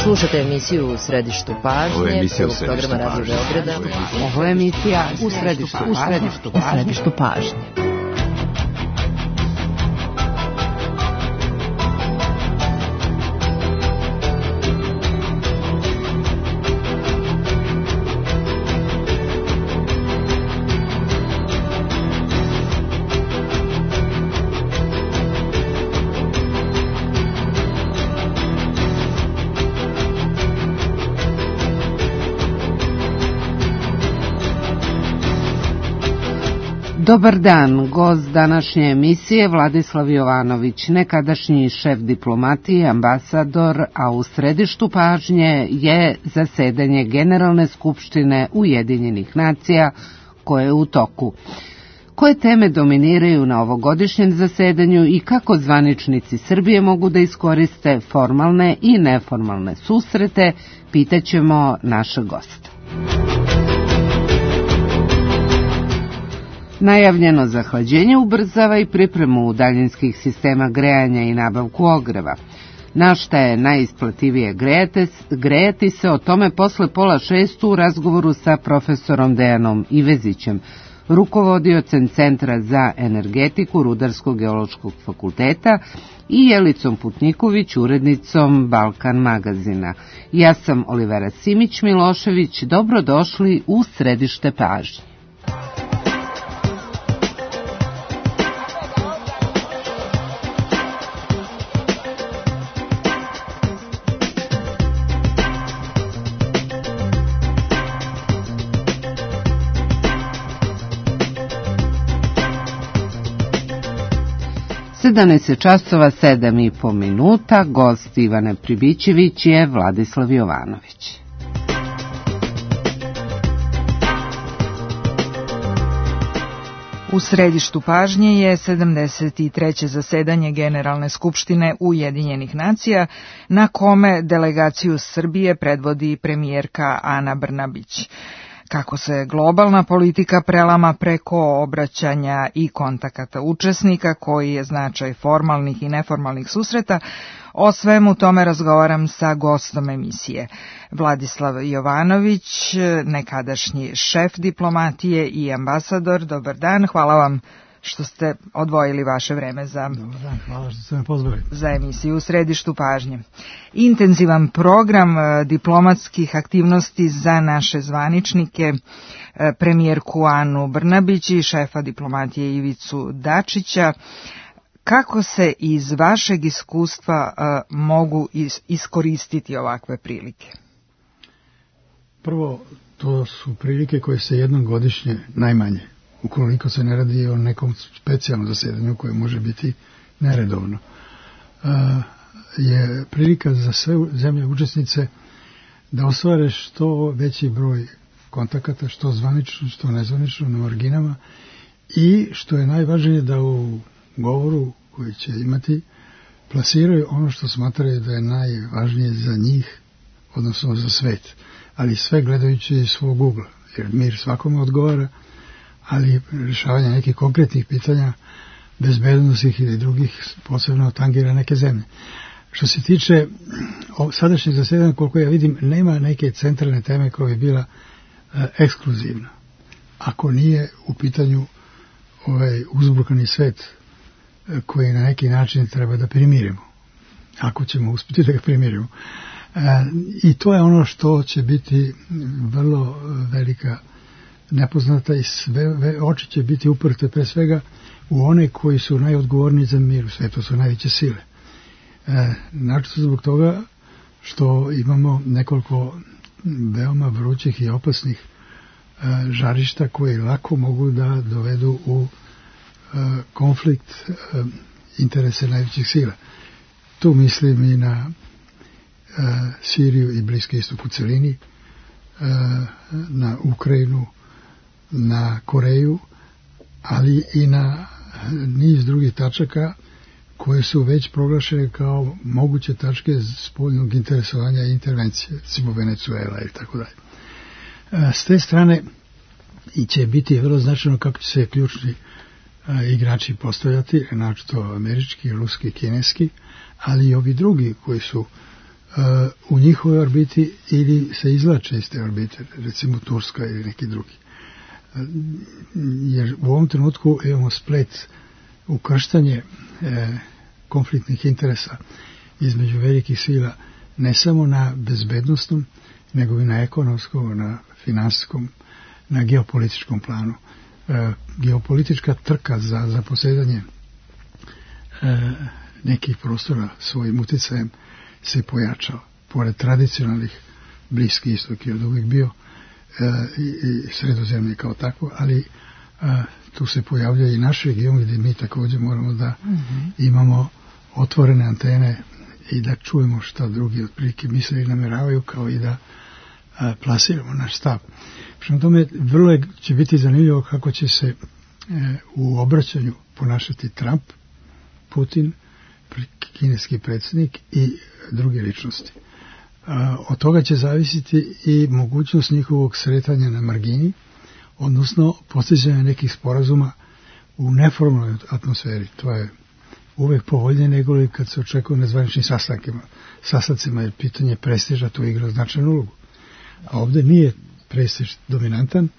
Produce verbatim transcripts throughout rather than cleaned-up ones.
Slušate emisiju U središtu pažnje, prvog programa Radio Beograda. Ovo je emisija U središtu pažnje. Dobar dan, gost današnje emisije Vladislav Jovanović, nekadašnji šef diplomatije, ambasador, a u središtu pažnje je zasedanje Generalne skupštine Ujedinjenih nacija koje je u toku. Koje teme dominiraju na ovogodišnjem zasedanju i kako zvaničnici Srbije mogu da iskoriste formalne i neformalne susrete, pitaćemo našeg gosta. Najavljeno zahlađenje ubrzava i pripremu daljinskih sistema grejanja i nabavku ogreva. Na šta je najisplativije grejati, grejati se, o tome posle pola šestu u razgovoru sa profesorom Dejanom Ivezićem, rukovodiocem Centra za energetiku Rudarsko-geološkog fakulteta, i Jelicom Putniković, urednicom Balkan magazina. Ja sam Olivera Simić-Milošević, dobrodošli u središte pažnje. sedamnaest časova sedam i po minuta, gost Ivane Pribićević je Vladislav Jovanović. U središtu pažnje je sedamdeset treće zasedanje Generalne skupštine Ujedinjenih nacija, na kome delegaciju Srbije predvodi premijerka Ana Brnabić. Kako se globalna politika prelama preko obraćanja i kontakata učesnika, koji je značaj formalnih i neformalnih susreta, o svemu tome razgovaram sa gostom emisije. Vladislav Jovanović, nekadašnji šef diplomatije i ambasador. Dobar dan, hvala vam što ste odvojili vaše vreme za, Dobar dan, hvala što ste me pozvali. za emisiju U središtu pažnje. Intenzivan program diplomatskih aktivnosti za naše zvaničnike, premijerku Anu Brnabić i šefa diplomatije Ivicu Dačića. Kako se iz vašeg iskustva uh, mogu is- iskoristiti ovakve prilike? Prvo, to su prilike koje se jednom godišnje najmanje, ukoliko se ne radi o nekom specijalnom zasedanju koje može biti neredovno. Uh, je prilika za sve zemlje učesnice da ostvare što veći broj kontakata, što zvanično, što nezvanično, na marginama, i što je najvažnije da u govoru koji će imati plasiraju ono što smatraju da je najvažnije za njih, odnosno za svet, ali sve gledajući iz svog ugla, jer mir svakome odgovara, ali rješavanje nekih konkretnih pitanja, bezbednosnih ili drugih, posebno tangira neke zemlje. Što se tiče sadašnjeg zasedanja, koliko ja vidim, nema neke centralne teme koja bi bila e, ekskluzivna. Ako nije u pitanju ovaj uzburkani svet koji na neki način treba da primirimo, ako ćemo uspjeti da ga primirimo. E, I to je ono što će biti vrlo velika nepoznata, i sve oči će biti uprte pre svega u one koji su najodgovorniji za mir u svijetu, su najveće sile. E, Načito zbog toga što imamo nekoliko veoma vrućih i opasnih e, žarišta koji lako mogu da dovedu u konflikt uh, interese najvećih sila. Tu mislim i na uh, Siriju i Bliski istok u celini, uh, na Ukrajinu, na Koreju, ali i na niz drugih tačaka koje su već proglašene kao moguće tačke spoljnog interesovanja i intervencije, recimo Venezuela i tako dalje. S te strane i će biti vrlo značajno kako će se ključni igrači postavljati, naročito američki, ruski, kineski, ali i ovi drugi koji su u njihovoj orbiti ili se izlače iz te orbite, recimo Turska ili neki drugi. Jer u ovom trenutku imamo splet, ukrštanje e, konfliktnih interesa između velikih sila, ne samo na bezbednostnom, nego i na ekonomskom, na finansijskom, na geopolitičkom planu. E, geopolitička trka za, za posjedanje e, nekih prostora svojim uticajem se pojačao. Pored tradicionalnih, Bliski istok je od uvijek bio e, i, i sredozemlje kao tako, ali a, tu se pojavlja i naš region gdje mi također moramo da mm-hmm. imamo otvorene antene i da čujemo šta drugi otprilike misle i nameravaju, kao i da a, plasiramo naš stav. Prema tome, vrlo je, će biti zanimljivo kako će se e, u obraćanju ponašati Trump, Putin, kineski predsjednik i druge ličnosti. A, od toga će zavisiti i mogućnost njihovog sretanja na margini, odnosno postizanje nekih sporazuma u neformalnoj atmosferi. To je uvek povoljnije nego li kad se očekuje na zvaničnim sastancima, jer pitanje prestiža tu igra značajnu ulogu. A ovdje nije prestiž dominantan,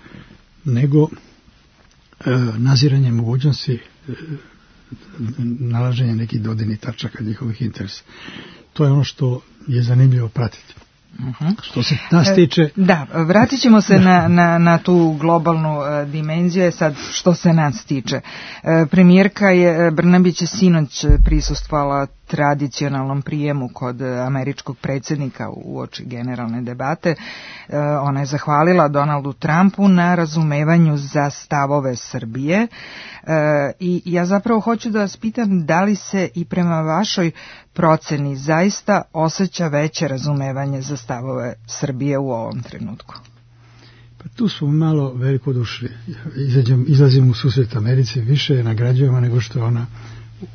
nego e, naziranje mogućnosti e, nalaženja nekih dodirnih tačaka njihovih interesa. To je ono što je zanimljivo pratiti. Uh-huh. Što se nas tiče... Da, vratit ćemo se na, na, na tu globalnu uh, dimenziju, sad što se nas tiče. Uh, premijerka je Brnabić sinoć prisustvovala tradicionalnom prijemu kod američkog predsjednika uoči generalne debate. Uh, ona je zahvalila Donaldu Trumpu na razumevanju za stavove Srbije. Uh, I ja zapravo hoću da vas pitam da li se i prema vašoj proceni zaista osjeća veće razumevanje za stavove Srbije u ovom trenutku? Pa tu smo malo velikodušni. Izlazimo u susret Americi, više je nagrađujemo nego što je ona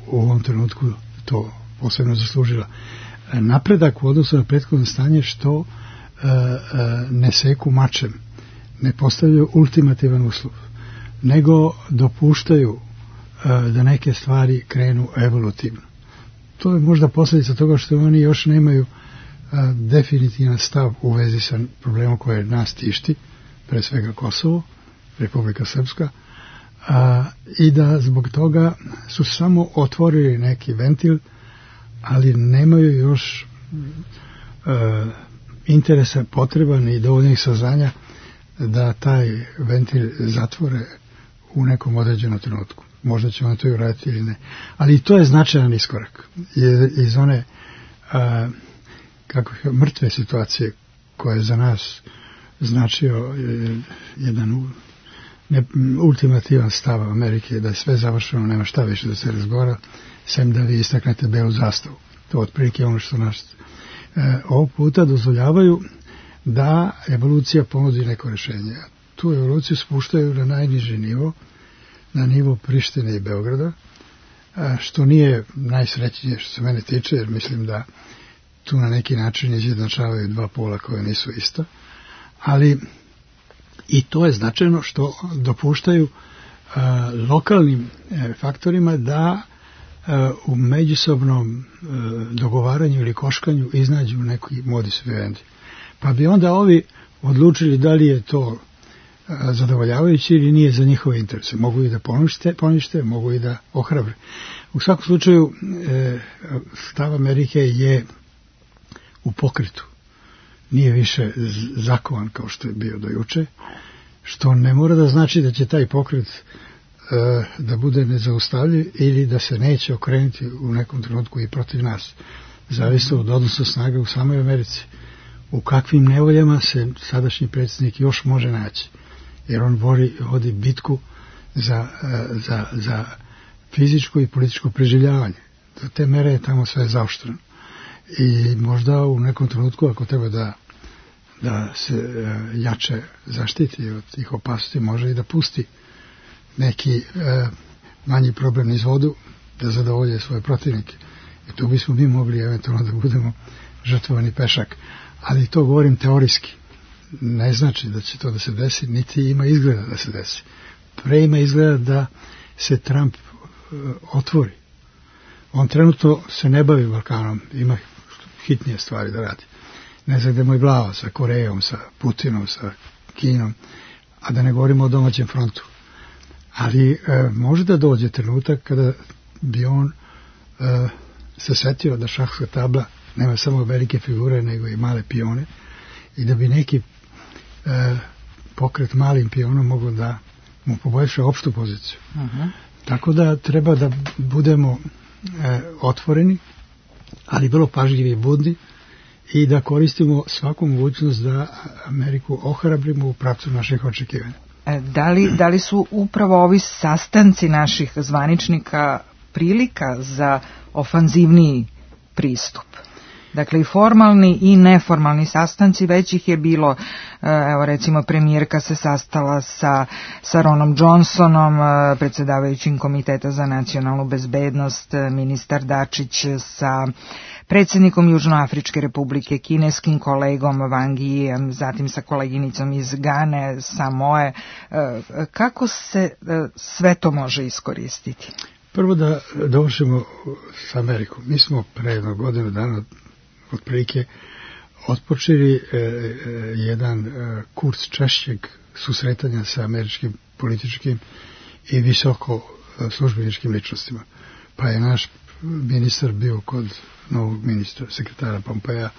u ovom trenutku to posebno zaslužila. Napredak u odnosu na prethodno stanje što e, e, ne seku mačem, ne postavljaju ultimativan uslov, nego dopuštaju e, da neke stvari krenu evolutivno. To je možda posljedica toga što oni još nemaju a, definitivan stav u vezi sa problemom koje nas tišti, pre svega Kosovo, Republika Srpska, a, i da zbog toga su samo otvorili neki ventil, ali nemaju još a, interesa potreban i dovoljnih saznanja da taj ventil zatvore u nekom određenom trenutku. Možda će on to i uraditi ili ne. Ali i to je značajan iskorak. Iz one a, kako je, mrtve situacije koje je za nas značio je, jedan ne, ultimativan stav Amerike da je sve završeno, nema šta više da se razgovara, sem da vi istaknete belu zastavu. To otprilike ono što nas e, ovog puta dozvoljavaju da evolucija ponudi neko rješenje. Tu evoluciju spuštaju na najniži nivo, na nivo Prištine i Beograda, što nije najsrećnije što se mene tiče, jer mislim da tu na neki način izjednačavaju dva pola koje nisu ista, ali i to je značajno što dopuštaju a, lokalnim e, faktorima da a, u međusobnom a, dogovaranju ili koškanju iznađu neki modus vivendi. Pa bi onda ovi odlučili da li je to zadovoljavajući ili nije za njihove interese. Mogu i da ponište, ponište mogu i da ohrabre. U svakom slučaju e, stav Amerike je u pokretu. Nije više zakovan kao što je bio do juče, što ne mora da znači da će taj pokret e, da bude nezaustavljiv ili da se neće okrenuti u nekom trenutku i protiv nas. Zavisno od odnosa snaga u samoj Americi. U kakvim nevoljama se sadašnji predsjednik još može naći. Jer on vodi, vodi bitku za, za, za fizičko i političko preživljavanje. Do te mere je tamo sve zaoštreno. I možda u nekom trenutku, ako treba da, da se jače zaštiti od tih opasnosti, može i da pusti neki e, manji problem iz vodu, da zadovolje svoje protivnike. I tu bismo mi mogli eventualno da budemo žrtvovani pešak. Ali to govorim teorijski. Ne znači da će to da se desi, niti ima izgleda da se desi. Pre ima izgleda da se Trump uh, otvori. On trenutno se ne bavi Balkanom. Ima hitnije stvari da radi. Ne znam gde mu je glava sa Korejom, sa Putinom, sa Kinom, a da ne govorimo o domaćem frontu. Ali e, može da dođe trenutak kada bi on e, se setio da šahska tabla nema samo velike figure, nego i male pione, i da bi neki e, pokret malim pionom mogao da mu poboljša opštu poziciju. Uh-huh. Tako da treba da budemo e, otvoreni, ali vrlo pažljivi i budni, i da koristimo svaku mogućnost da Ameriku ohrabrimo u pravcu naših očekivanja. Da li, da li su upravo ovi sastanci naših zvaničnika prilika za ofanzivniji pristup? Dakle, i formalni i neformalni sastanci, već ih je bilo, evo recimo premijerka se sastala sa, sa Ronom Johnsonom, predsjedavajućim Komiteta za nacionalnu bezbednost, ministar Dačić sa predsjednikom Južnoafričke republike, kineskim kolegom Wang Yijem, zatim sa koleginicom iz Gane, Samoe. Kako se sve to može iskoristiti? Prvo da dovršimo s Amerikom. Mi smo pre jednog godinu dana otprilike otpočeli e, e, jedan e, kurs češćeg susretanja sa američkim političkim i visoko e, službeničkim ličnostima. Pa je naš ministar bio kod novog ministra, sekretara Pompeja,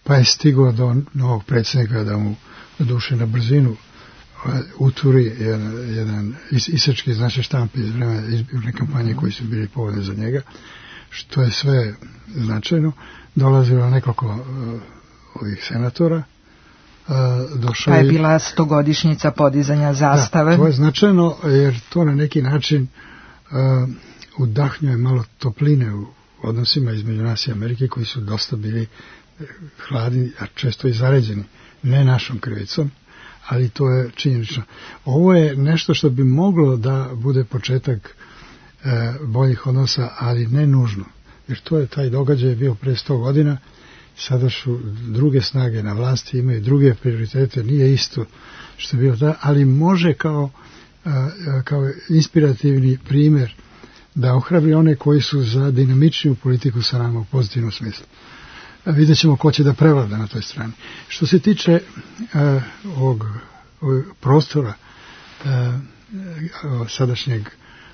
pa je stigao do novog predsjednika da mu doduše na brzinu uturi jedan, jedan is, isečki iz naše štampe iz vremena izborne kampanje koji su bili povodne za njega, što je sve značajno. Dolazilo nekoliko uh, ovih senatora. Uh, došao pa je bila stogodišnjica podizanja zastave. Da, to je značajno jer to na neki način uh, udahnjuje malo topline u odnosima između nas i Amerike koji su dosta bili hladni, a često i zaređeni. Ne našom krivicom, ali to je činjenično. Ovo je nešto što bi moglo da bude početak e, boljih odnosa, ali ne nužno. Jer to je taj događaj bio pre sto godina, sada su druge snage na vlasti, imaju druge prioritete, nije isto što je bilo da, ali može kao, e, kao inspirativni primjer da ohrabri one koji su za dinamičniju politiku sa nama u pozitivnom smislu. Vidjet ćemo ko će da prevlada na toj strani. Što se tiče uh, ovog, ovog prostora uh, sadašnjeg,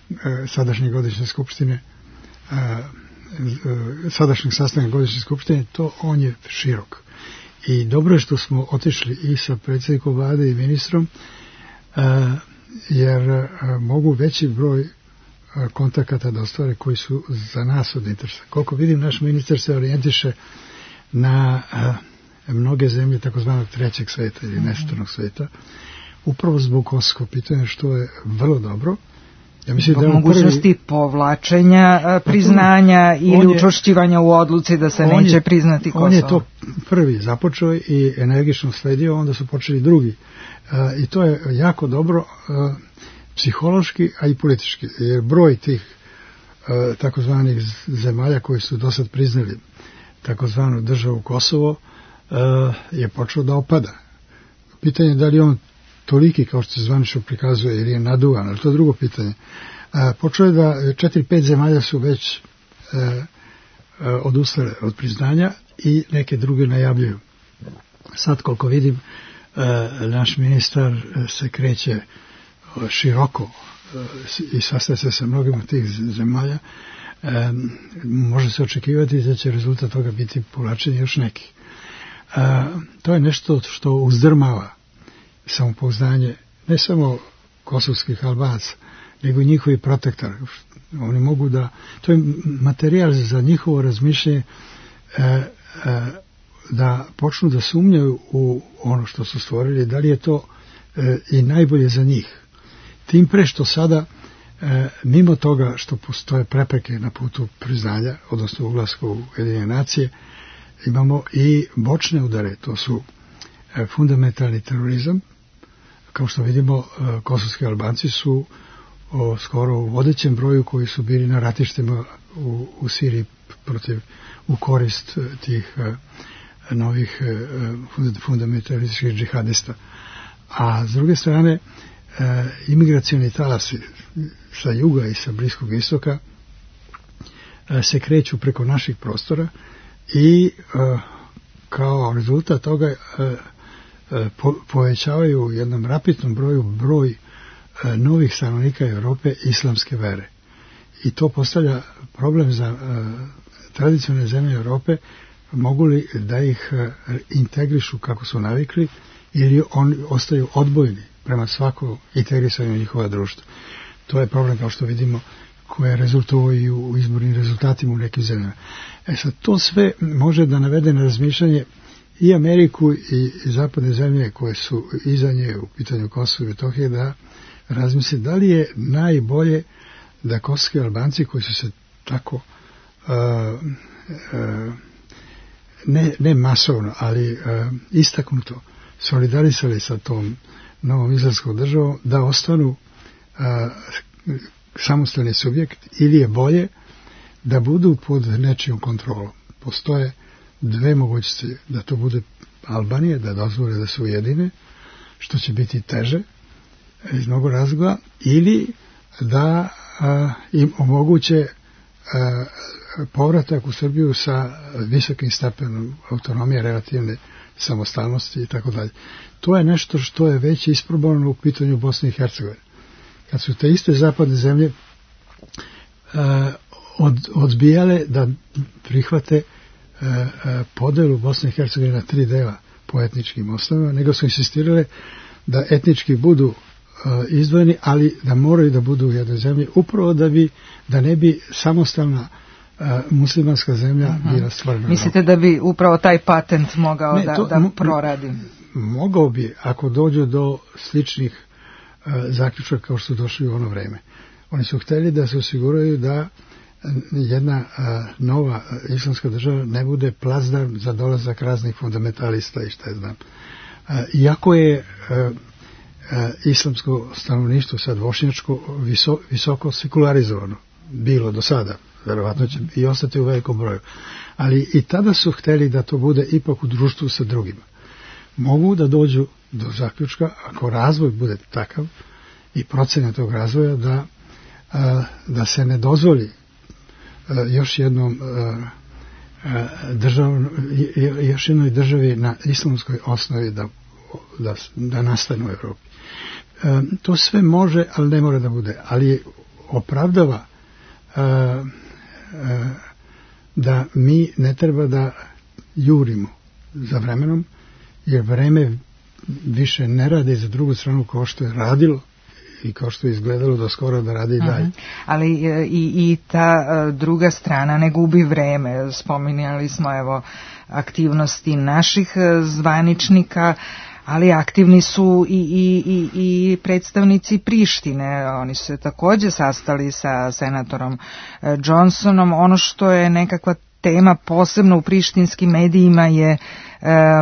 uh, sadašnje godišnje skupštine, uh, uh, sadašnjeg sastanka godišnje skupštine, to on je širok. I dobro je što smo otišli i sa predsjednikom vlade i ministrom, uh, jer uh, mogu veći broj uh, kontakata da ostvare koji su za nas od interesa. Koliko vidim, naš ministar se orijentiše na a, mnoge zemlje takozvanog trećeg sveta ili nestornog sveta, upravo zbog kosovskog pitanja, što je vrlo dobro. Ja mislim zbog da mogućnosti prvi, priznanja a, priznanja ili učvršćivanja u odluci da se neće je, priznati Kosovo. On je to prvi započeo i energično sledio, onda su počeli drugi. A, I to je jako dobro a, psihološki, a i politički. Jer broj tih a, takozvanih zemalja koji su do sad priznali takozvanu državu Kosovo uh, je počeo da opada. Pitanje je da li on toliki kao što se zvanično prikazuje ili je naduvan, ali to je drugo pitanje. Uh, počeo je da četiri, pet zemalja su već uh, uh, odustale od priznanja i neke druge najavljuju. Sad koliko vidim uh, naš ministar uh, se kreće uh, široko uh, i sastaje se sa mnogim od tih zemalja. E, može se očekivati da će rezultat toga biti povlačenje još nekih. E, to je nešto što uzdrmava samopouzdanje ne samo kosovskih Albanaca, nego i njihovi protektora. Oni mogu da, to je materijal za njihovo razmišljanje e, e, da počnu da sumnjaju u ono što su stvorili, da li je to e, i najbolje za njih. Tim pre što sada E, mimo toga što postoje prepreke na putu priznanja, odnosno ulaska u Ujedinjene nacije, imamo i bočne udare, to su e, fundamentalni terorizam. Kao što vidimo, e, kosovski Albanci su o, skoro u vodećem broju koji su bili na ratištima u, u Siriji protiv, u korist e, tih e, novih e, fundamentalističkih džihadista. A s druge strane, e, imigracioni talasi sa juga i sa Bliskog istoka e, se kreću preko naših prostora i uh, kao rezultat toga uh, uh, po, povećavaju u jednom rapidnom broju broj uh, novih stanovnika Europe islamske vere. I to postavlja problem za uh, tradicionalne zemlje Europe, mogu li da ih uh, integrišu kako su navikli ili oni ostaju odbojni prema svakom integrisanju njihova društva. To je problem, kao što vidimo, koje je rezultovao i u izbornim rezultatima u nekim zemljama. E sad, to sve može da navede na razmišljanje i Ameriku i, i zapadne zemlje koje su iza nje u pitanju Kosova i Metohije, da razmisli da li je najbolje da kosovski Albanci koji su se tako uh, uh, ne, ne masovno, ali uh, istaknuto solidarisali sa tom novom izraelskom državom, da ostanu uh, samostalni subjekt, ili je bolje da budu pod nečijom kontrolom. Postoje dve mogućnosti, da to bude Albanija, da dozvole da se ujedine, što će biti teže iz mnogo razloga, ili da a, im omoguće a, povratak u Srbiju sa visokim stepenom autonomije, relativne samostalnosti i tako dalje. To je nešto što je već isprobano u pitanju Bosne i Hercegovine. Kad su te iste zapadne zemlje uh, od, odbijale da prihvate uh, uh, podelu Bosne i Hercegovine na tri dela po etničkim osnovama, nego su insistirale da etnički budu uh, izdvojeni, ali da moraju da budu u jednoj zemlji, upravo da bi, da ne bi samostalna uh, muslimanska zemlja uh-huh. bila stvarna. Mislite da bi upravo taj patent mogao ne, da, to, da proradi? Mogao bi, ako dođu do sličnih zaključak kao što su došli u ono vreme. Oni su htjeli da se osiguraju da jedna a, nova islamska država ne bude placdarm za dolazak raznih fundamentalista i šta je znam. A, iako je a, a, islamsko stanovništvo sad bošnjačko viso, visoko sekularizovano bilo do sada, verovatno će i ostati u velikom broju. Ali i tada su htjeli da to bude ipak u društvu sa drugima. Mogu da dođu do zaključka, ako razvoj bude takav i procena tog razvoja, da, a, da se ne dozvoli a, još jednom a, a, držav, još jednoj državi na islamskoj osnovi da, da, da nastane u Evropi. A, to sve može, ali ne mora da bude. Ali opravdava a, a, da mi ne treba da jurimo za vremenom, jer vreme više ne radi za drugu stranu kao što je radilo i kao što je izgledalo do skoro da radi i dalje. Uh-huh. Ali i, i ta uh, druga strana ne gubi vreme. Spominjali smo evo aktivnosti naših uh, zvaničnika, ali aktivni su i, i, i, i predstavnici Prištine. Oni su se također sastali sa senatorom uh, Johnsonom. Ono što je nekakva tema posebno u prištinskim medijima je e,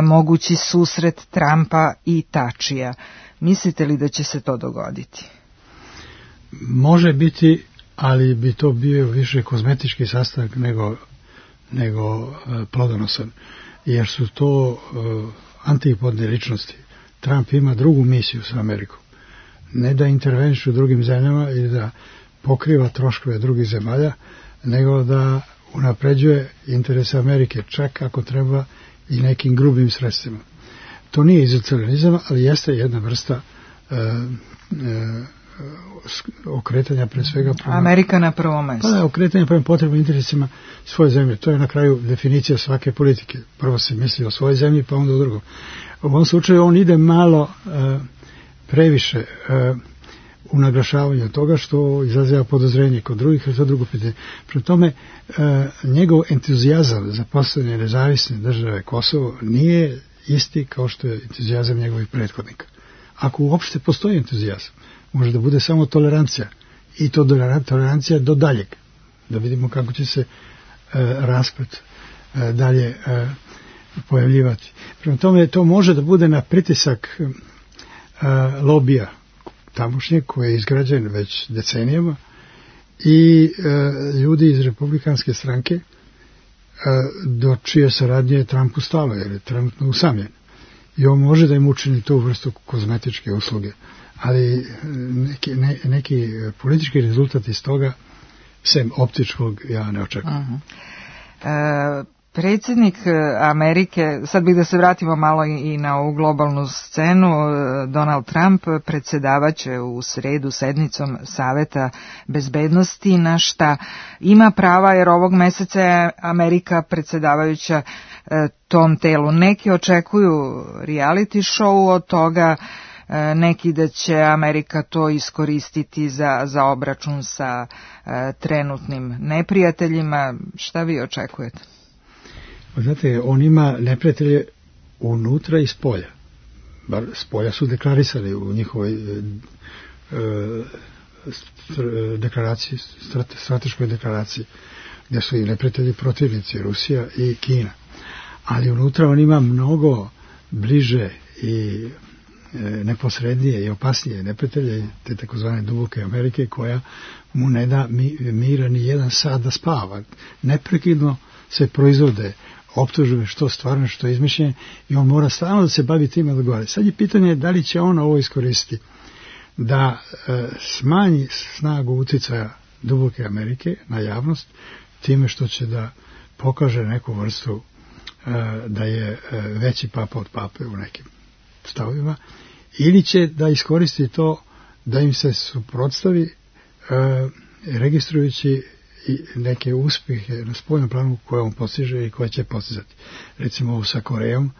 mogući susret Trumpa i Tačija. Mislite li da će se to dogoditi? Može biti, ali bi to bio više kozmetički sastanak nego, nego e, plodonosan, jer su to e, antipodne ličnosti. Trump ima drugu misiju sa Amerikom. Ne da interveniše u drugim zemljama ili da pokriva troškove drugih zemalja, nego da unapređuje interese Amerike, čak ako treba i nekim grubim sredstvima. To nije izolacionizam, ali jeste jedna vrsta e, e, okretanja pre svega prema... Amerika na prvom mjestu. Pa da, okretanja prema potrebnim interesima svoje zemlje. To je na kraju definicija svake politike. Prvo se misli o svojoj zemlji, pa onda o drugom. U ovom slučaju on ide malo e, previše e, u naglašavanju toga što izaziva podozrenje kod drugih, a to drugo pitanje. Prema tome, e, njegov entuzijazam za postavljanje nezavisne države Kosovo nije isti kao što je entuzijazam njegovih prethodnika. Ako uopšte postoji entuzijazam, može da bude samo tolerancija. I to tolerancija do daljeg. Da vidimo kako će se e, rasplet e, dalje e, pojavljivati. Prema tome, to može da bude na pritisak e, lobija tamošnje, koji je izgrađen već decenijama, i e, ljudi iz republikanske stranke, e, do čije saradnje je Trump ustalo, jer je trenutno usamljen. I on može da im učini tu vrstu kozmetičke usluge. Ali neki, ne, neki politički rezultat iz toga, sem optičkog, ja ne očekujem. Uh-huh. E, Predsjednik Amerike, sad bih da se vratimo malo i na ovu globalnu scenu, Donald Trump predsjedavaće u sredu sednicom Saveta bezbednosti, na šta ima prava jer ovog meseca je Amerika predsjedavajuća tom telu. Neki očekuju reality show od toga, neki da će Amerika to iskoristiti za, za obračun sa trenutnim neprijateljima. Šta vi očekujete? Znate, on ima neprijatelje unutra i spolja. Bar spolja su deklarisali u njihovoj e, e, deklaraciji, strate, strateškoj deklaraciji, gdje su i neprijatelji protivnici, Rusija i Kina. Ali unutra on ima mnogo bliže i e, neposrednije i opasnije neprijatelje, te takozvane duboke Amerike, koja mu ne da mi, mira ni jedan sat da spava. Neprekidno se proizvode optužbe što stvarno, što izmišljenje, i on mora stalno da se bavi time da odgovara. Sad je pitanje da li će on ovo iskoristiti da e, smanji snagu uticaja duboke Amerike na javnost time što će da pokaže neku vrstu e, da je e, veći papa od pape u nekim stavovima, ili će da iskoristi to da im se suprotstavi e, registrujući i neke uspjehe na spoljnom planu koje on postiže i koje će postizati. Recimo ovo sa Korejom,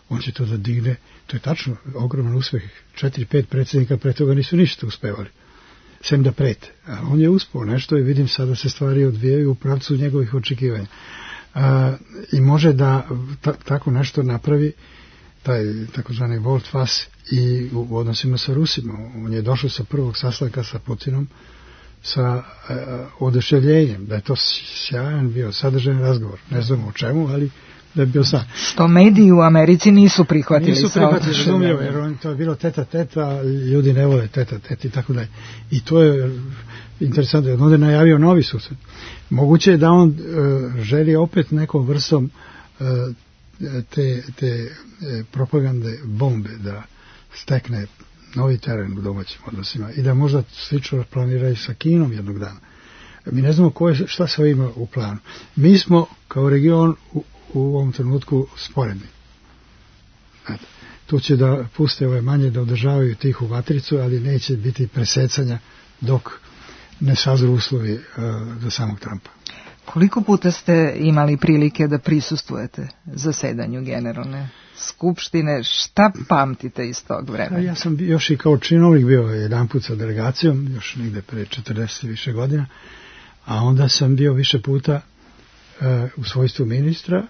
on će to da digne, to je tačno ogroman uspjeh, četiri, pet predsjednika pre toga nisu ništa uspevali, sem da prete. A on je uspeo nešto i vidim sada se stvari odvijaju u pravcu njegovih očekivanja. A, i može da ta, tako nešto napravi, taj takozvani volte-face i u odnosima sa Rusima. On je došao sa prvog sastanka sa Putinom sa e, oduševljenjem, da je to sjajan bio sadržajan razgovor. Ne znamo o čemu, ali da je bio sad. Što mediji u Americi nisu prihvatili. Nisu prihvatili, razumljivo, jer on, to je bilo teta teta, ljudi ne vole teta teta i tako dalje. I to je interesantno, onda je najavio novi susret. Moguće je da on e, želi opet nekom vrstom e, te, te e, propagande bombe da stekne novi teren u domaćim odnosima i da možda slično planira i sa Kinom jednog dana. Mi ne znamo koje, šta sve ima u planu. Mi smo kao region u, u ovom trenutku sporedni. Znate, tu će da puste ove manje da održavaju tihu vatricu, ali neće biti presecanja dok ne sazru uslovi uh, za samog Trumpa. Koliko puta ste imali prilike da prisustvujete zasedanju Generalne skupštine? Šta pamtite iz tog vremena? Ja sam još i kao činovnik bio jedan put sa delegacijom, još negde pre četrdeset više godina, a onda sam bio više puta uh, u svojstvu ministra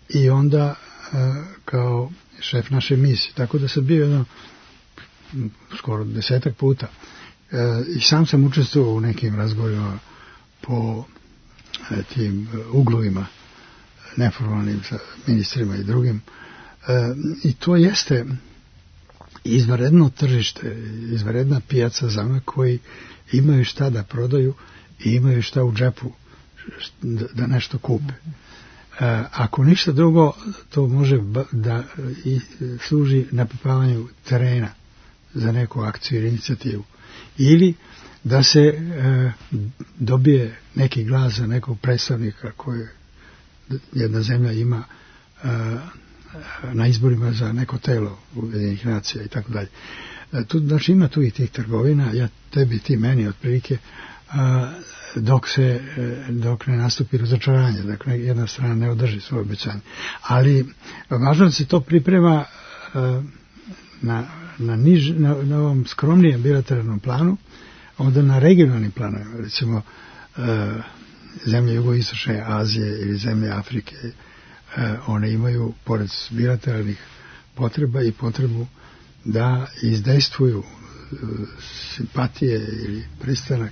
i onda uh, kao šef naše misije. Tako da sam bio jedno skoro desetak puta. Uh, I sam sam učestvovao u nekim razgovorima po tim uglovima neformalnim sa ministrima i drugim. E, I to jeste izvanredno tržište, izvanredna pijaca za one koji imaju šta da prodaju i imaju šta u džepu da nešto kupe. E, ako ništa drugo, to može da i služi napipavanju terena za neku akciju ili inicijativu. Ili da se e, dobije neki glas za nekog predstavnika koje jedna zemlja ima e, na izborima za neko telo Ujedinjenih nacija i tako dalje. Tu, znači ima tu i tih trgovina, ja tebi, ti meni otprilike, a, dok se dok ne nastupi razočaranje, dakle jedna strana ne održi svoje obećanje. Ali važno da se to priprema a, na, na, niž, na, na ovom skromnijem bilateralnom planu, onda na regionalnim planovima, recimo a, zemlje jugoistočne Azije ili zemlje Afrike, a, one imaju pored bilateralnih potreba i potrebu da izdejstvuju simpatije ili pristanak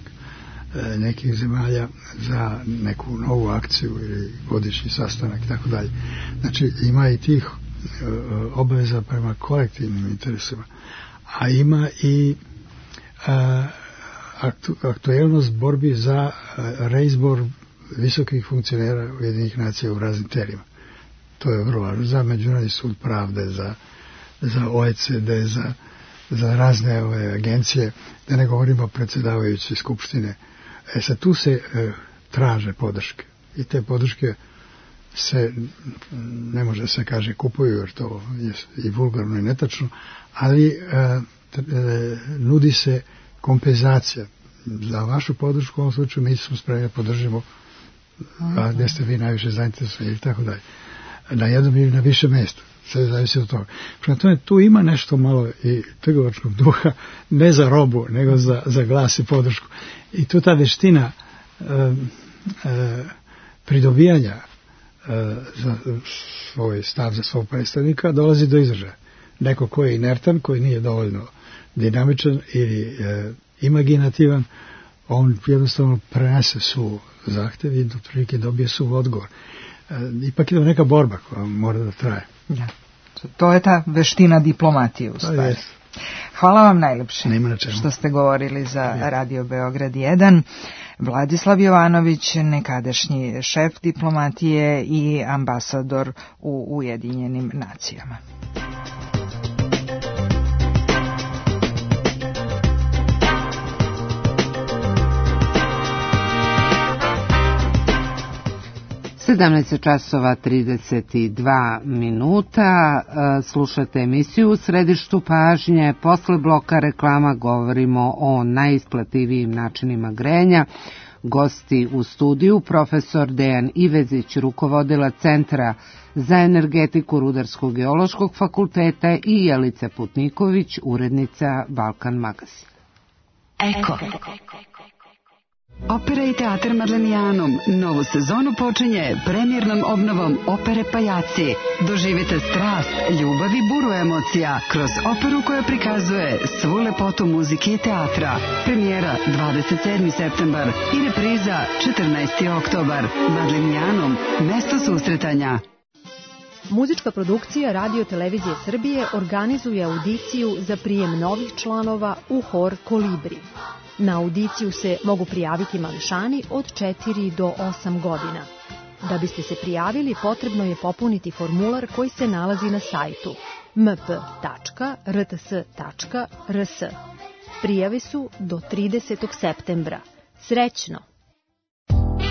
nekih zemalja za neku novu akciju ili godišnji sastanak i tako dalje. Znači ima i tih obaveza prema kolektivnim interesima, a ima i a, aktu, aktuelnost borbi za reizbor visokih funkcionera Ujedinjenih nacija u raznim telima. To je vrlo važno za Međunarodni sud pravde, za za O E C D, za, za razne ove agencije, da ne govorimo o se, ne može se kaže kupuju, jer to je i vulgarno i netačno, ali e, t, e, nudi se kompenzacija. Za vašu podršku u ovom slučaju mi smo spremni da podržimo, a gde ste vi najviše zainteresovani i tako dalje. Na jednom ili na više mjesta. Sve zavisi od toga. Prema tome, tu ima nešto malo i trgovačkog duha, ne za robu, nego za, za glas i podršku. I tu ta veština e, e, pridobijanja e, za svoj stav, za svog predstavnika, dolazi do izražaja. Neko ko je inertan, koji nije dovoljno dinamičan ili e, imaginativan, on jednostavno prenese su zahtev i do prilike dobije su odgovor. E, ipak je to neka borba koja mora da traje. Da. To je ta veština diplomatije u stvari. Hvala vam najlepše što ste govorili za Radio Beograd jedan. Vladislav Jovanović, nekadašnji šef diplomatije i ambasador u Ujedinjenim nacijama. sedamnaest časova trideset dva minuta, slušate emisiju U središtu pažnje. Posle bloka reklama govorimo o najisplativijim načinima grejanja. Gosti u studiju profesor Dejan Ivezić, rukovodilac Centra za energetiku Rudarsko-geološkog fakulteta, i Jelica Putniković, urednica Balkan magazina. Eko. Opera i teatar Marlenijanum novu sezonu počinje premijernom obnovom opere Pajaci. Doživite strast, ljubav i buru emocija kroz operu koja prikazuje svu lepotu muzike i teatra. Premijera dvadeset sedmi septembar i repriza četrnaesti oktobar. Marlenijanum, mesto susretanja. Muzička produkcija Radio Televizije Srbije organizuje audiciju za prijem novih članova u hor Kolibri. Na audiciju se mogu prijaviti mališani od četiri do osam godina. Da biste se prijavili, potrebno je popuniti formular koji se nalazi na sajtu m p tačka r t s tačka r s. Prijave su do tridesetog septembra. Srećno!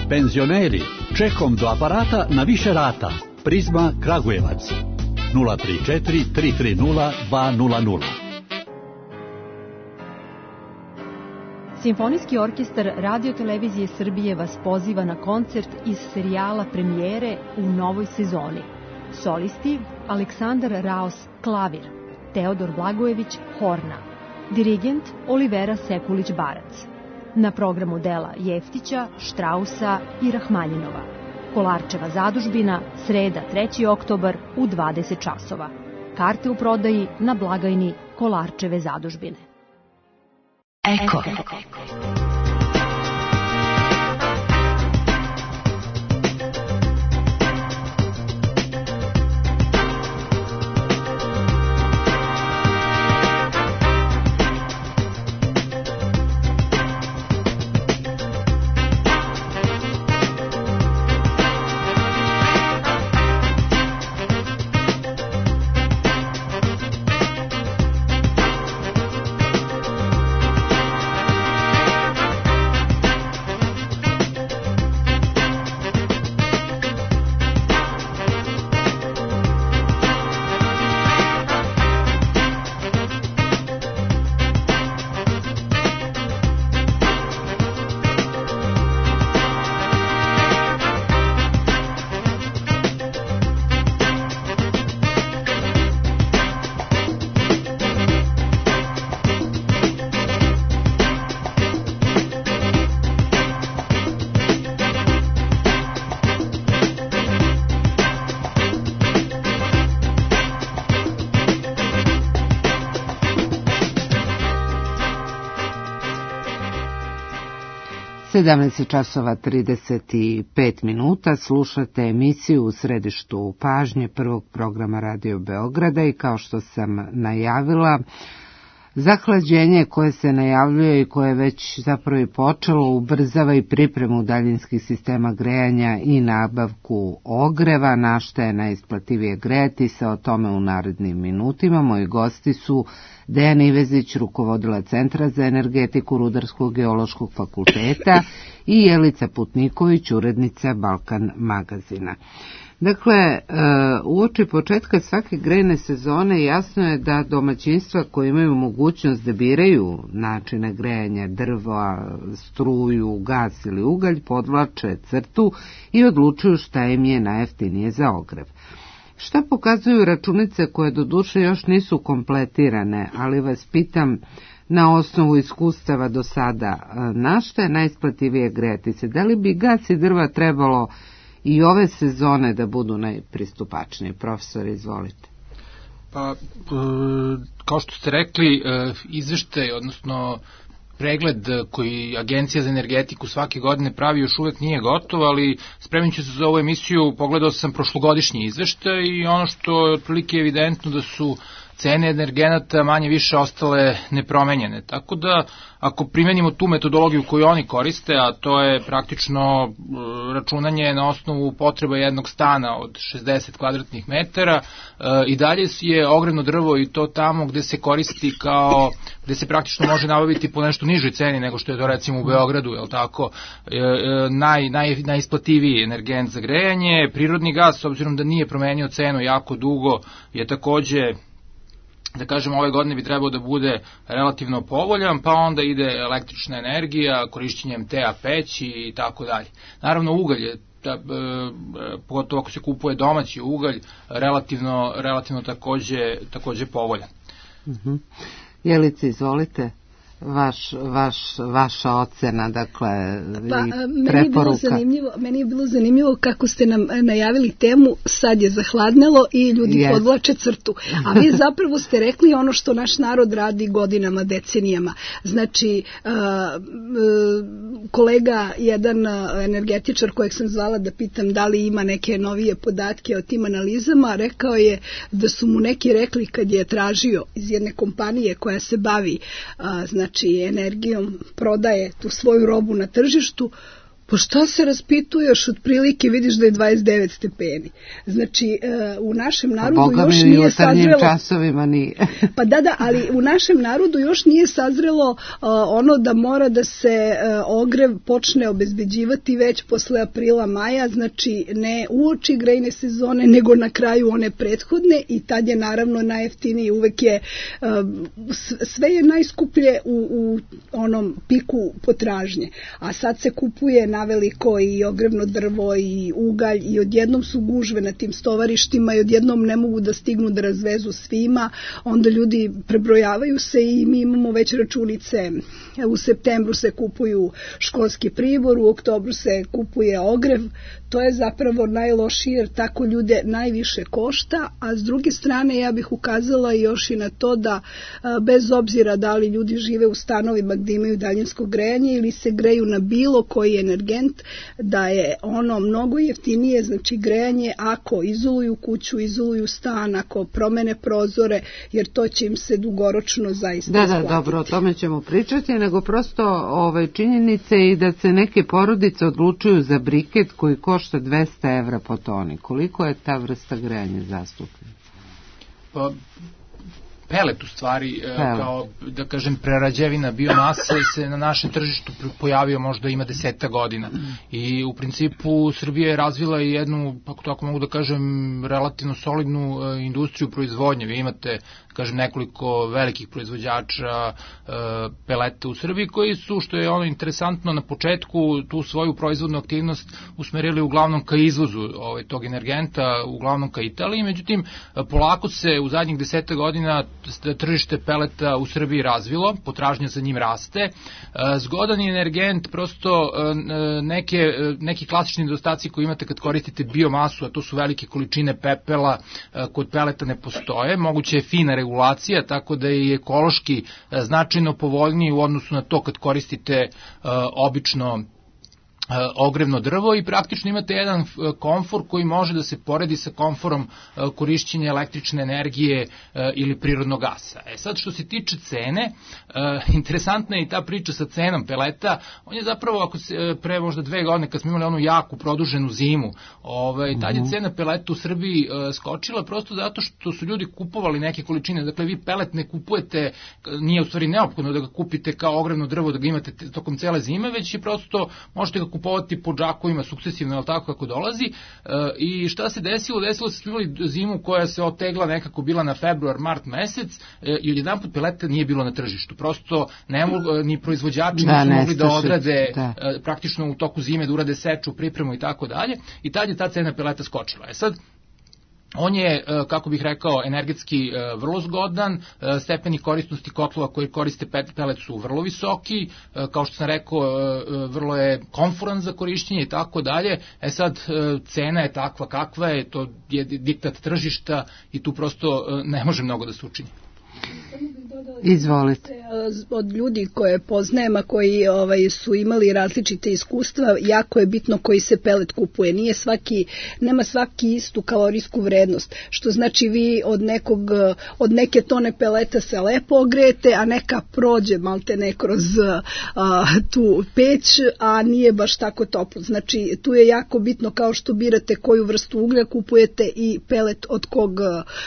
Penzioneri, čekom do aparata na više rata. Prizma Kragujevac nula tri četiri tri tri nula dva nula nula. Simfonijski orkestar Radio Televizije Srbije vas poziva na koncert iz serijala Premijere u novoj sezoni. Solisti Aleksandar Raos klavir, Teodor Blagojević horna, dirigent Olivera Sekulić-Barac. Na programu dela Jeftića, Štrausa i Rahmaninova. Kolarčeva zadužbina, sreda treći oktobar u dvadeset časova. Karte u prodaji na blagajni Kolarčeve zadužbine. Eko. sedamnaest časova trideset pet minuta, slušate emisiju U središtu pažnje prvog programa Radio Beograda i kao što sam najavila, zahlađenje koje se najavljuje i koje je već zapravo i počelo ubrzava i pripremu daljinskih sistema grejanja i nabavku ogreva, na šta je najisplativije grejati se, o tome u narednim minutima. Moji gosti su Dejan Ivezić, rukovodila Centra za energetiku Rudarskog geološkog fakulteta i Jelica Putniković, urednica Balkan magazina. Dakle, uoči početka svake grejne sezone jasno je da domaćinstva koje imaju mogućnost da biraju načine grejanja, drva, struju, gas ili ugalj, podvlače crtu i odlučuju šta im je najjeftinije za ogrev. Šta pokazuju računice koje doduše još nisu kompletirane, ali vas pitam na osnovu iskustava do sada, na šta je najisplativije grejati se? Da li bi gas i drva trebalo i ove sezone da budu najpristupačnije? Profesor, izvolite. Pa, kao što ste rekli, izveštaj, odnosno pregled koji Agencija za energetiku svake godine pravi još uvek nije gotov, ali spremajući se za ovu emisiju pogledao sam prošlogodišnji izveštaj i ono što je otprilike evidentno da su cene energenata manje više ostale nepromenjene. Tako da, ako primenimo tu metodologiju koju oni koriste, a to je praktično računanje na osnovu potreba jednog stana od šezdeset kvadratnih metara, i dalje je ogrevno drvo i to tamo gde se koristi kao, gde se praktično može nabaviti po nešto nižoj ceni nego što je to recimo u Beogradu, je li tako, naj, naj, najisplativiji energent za grejanje. Prirodni gas, s obzirom da nije promenio cenu jako dugo, je takođe, da kažem, ove godine bi trebao da bude relativno povoljan, pa onda ide električna energija, korišćenjem T A peći i tako dalje. Naravno, ugalj je, da, pogotovo ako se kupuje domaći ugalj, relativno, relativno takođe, takođe povoljan. Uh-huh. Jelice, izvolite. Vaš, vaš, vaša ocena, dakle, pa, i meni preporuka. Je bilo zanimljivo, meni je bilo zanimljivo kako ste nam najavili temu, sad je zahladnelo i ljudi yes. podvlače crtu. A vi zapravo ste rekli ono što naš narod radi godinama, decenijama. Znači, uh, uh, kolega, jedan energetičar kojeg sam zvala da pitam da li ima neke novije podatke o tim analizama, rekao je da su mu neki rekli kad je tražio iz jedne kompanije koja se bavi uh, znači znači energijom, prodaje tu svoju robu na tržištu, pa šta se raspituješ, otprilike vidiš da je dvadeset devet stepeni. Znači, u našem narodu još nije sazrelo... časovima nije. Pa da, da, ali u našem narodu još nije sazrelo ono da mora da se ogrev počne obezbeđivati već posle aprila, maja, znači ne uoči grejne sezone, nego na kraju one prethodne, i tad je naravno najjeftiniji, uvek je, sve je najskuplje u, u onom piku potražnje. A sad se kupuje naveliko i ogrevno drvo i ugalj i odjednom su gužve na tim stovarištima i odjednom ne mogu da stignu da razvezu svima, onda ljudi prebrojavaju se i mi imamo već računice. U septembru se kupuju školski pribor, u oktobru se kupuje ogrev. To je zapravo najlošije jer tako ljude najviše košta, a s druge strane ja bih ukazala još i na to da bez obzira da li ljudi žive u stanovima gdje imaju daljinsko grejanje ili se greju na bilo koji energent, da je ono mnogo jeftinije, znači grejanje ako izoluju kuću, izoluju stan, ako promene prozore, jer to će im se dugoročno zaista da, isplatiti. Da, dobro, o tome ćemo pričati, nego prosto ove činjenice i da se neke porodice odlučuju za briket koji košta dvesta evra po toni. Koliko je ta vrsta grejanja zastupljena? Pa, pelet u stvari, pelet. Kao, da kažem, prerađevina biomase se na našem tržištu pojavio možda ima deseta godina. I u principu Srbija je razvila i jednu, ako tako mogu da kažem, relativno solidnu industriju proizvodnje. Vi imate, kažem, nekoliko velikih proizvođača peleta u Srbiji koji su, što je ono interesantno, na početku tu svoju proizvodnu aktivnost usmerili uglavnom ka izvozu ovaj, tog energenta, uglavnom ka Italiji. Međutim, polako se u zadnjih deseta godina tržište peleta u Srbiji razvilo, potražnja za njim raste. Zgodan je energent, prosto neke, neki klasični nedostaci koji imate kad koristite biomasu, a to su velike količine pepela, kod peleta ne postoje. Moguće je fina regulacija, tako da je ekološki značajno povoljniji u odnosu na to kad koristite obično ogrevno drvo i praktično imate jedan komfor koji može da se poredi sa komforom korišćenja električne energije ili prirodnog gasa. E sad, što se tiče cene, interesantna je i ta priča sa cenom peleta. On je zapravo, ako se pre možda dve godine, kad smo imali onu jaku produženu zimu, ovaj, tad je cena peleta u Srbiji skočila prosto zato što su ljudi kupovali neke količine. Dakle, vi pelet ne kupujete, nije u stvari neophodno da ga kupite kao ogrevno drvo, da ga imate tokom cele zime, već je prosto, možete ga kupovati po džakovima sukcesivno, ali tako kako dolazi. E, I šta se desilo? Desilo se imali zimu koja se otegla nekako bila na februar, mart mesec e, i odjedan put peleta nije bilo na tržištu. Prosto ne mogu, ni proizvođači da, nisu mogli da odrade da. E, praktično u toku zime, da urade seču, pripremu i tako dalje. I tad je ta cena peleta skočila. E sad, on je, kako bih rekao, energetski vrlo zgodan, stepeni korisnosti kotlova koji koriste pelet su vrlo visoki, kao što sam rekao, vrlo je komforan za korišćenje i tako dalje. E sad, cena je takva kakva je, to je diktat tržišta i tu prosto ne može mnogo da se učini. Izvolite. Od ljudi koje poznajem, a koji ovaj, su imali različite iskustva, jako je bitno koji se pelet kupuje. Nije svaki, nema svaki istu kalorijsku vrednost, što znači vi od, nekog, od neke tone peleta se lepo ogrejete, a neka prođe malte ne kroz a, tu peć, a nije baš tako toplo. Znači tu je jako bitno, kao što birate koju vrstu uglja kupujete i pelet od kog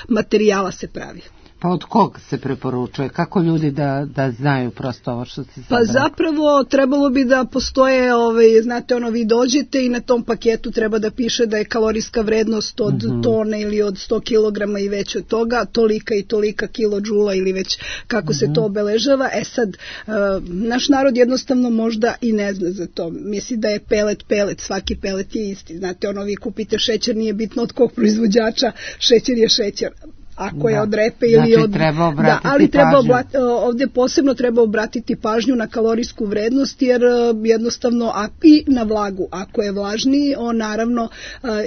materijala se pravi. Pa od kog se preporučuje? Kako ljudi da, da znaju prosto ovo što se sad Pa zapravo trebalo bi da postoje, ovaj, znate ono, vi dođete i na tom paketu treba da piše da je kalorijska vrednost od mm-hmm. tone ili od sto kilograma i već od toga, tolika i tolika kilodžula ili već kako mm-hmm. se to obeležava. E sad, uh, naš narod jednostavno možda i ne zna za to. Misli da je pelet pelet, svaki pelet je isti. Znate ono, vi kupite šećer, nije bitno od kog proizvođača, šećer je šećer. Ako je od repe ili znači, od... treba da, ali treba oblat, ovdje posebno treba obratiti pažnju na kalorijsku vrednost, jer jednostavno, a i na vlagu. Ako je vlažniji, on naravno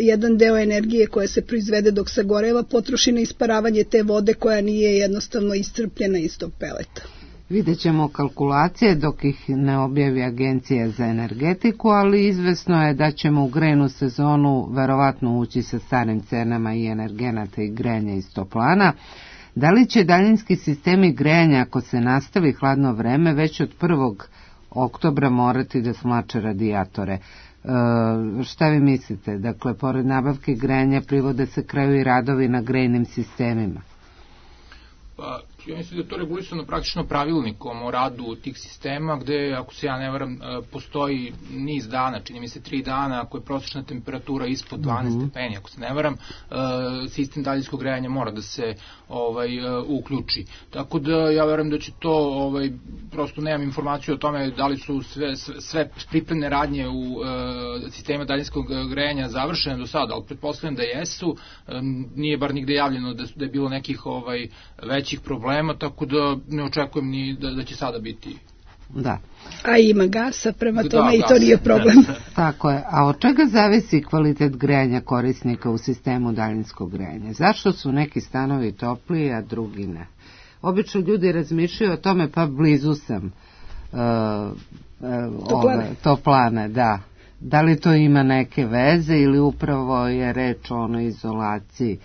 jedan deo energije koja se proizvede dok se goreva potroši na isparavanje te vode koja nije jednostavno iscrpljena iz tog peleta. Vidjet ćemo kalkulacije dok ih ne objavi Agencija za energetiku, ali izvesno je da ćemo u grejnu sezonu verovatno ući sa starim cenama i energenata i grejanja iz toplana. Da li će daljinski sistemi grejanja, ako se nastavi hladno vreme, već od prvog oktobra morati da smlače radijatore? E, šta vi mislite? Dakle, pored nabavke grejanja privode se kraju i radovi na grejnim sistemima. Pa, ja mislim da je to regulisano praktično pravilnikom o radu tih sistema, gde, ako se ja ne varam, postoji niz dana, čini mi se tri dana, ako je prosječna temperatura ispod dvanaest mm-hmm. stepeni, ako se ne varam, sistem daljinskog grejanja mora da se ovaj, uključi. Tako da ja verujem da će to, ovaj, prosto nemam informaciju o tome da li su sve, sve pripremne radnje u uh, sistema daljinskog grejanja završene do sada, ali pretpostavljam da jesu, um, nije bar nigde javljeno da, da je bilo nekih ovaj, većih problema, tako da ne očekujem ni da, da će sada biti. Da. A ima gasa, prema tome da, i to nije problem. Tako je. A od čega zavisi kvalitet grejanja korisnika u sistemu daljinskog grejanja? Zašto su neki stanovi topliji, a drugi ne? Obično ljudi razmišljaju o tome, pa blizu sam uh, uh, toplane. Ove, toplane, da. Da li to ima neke veze ili upravo je reč o onoj izolaciji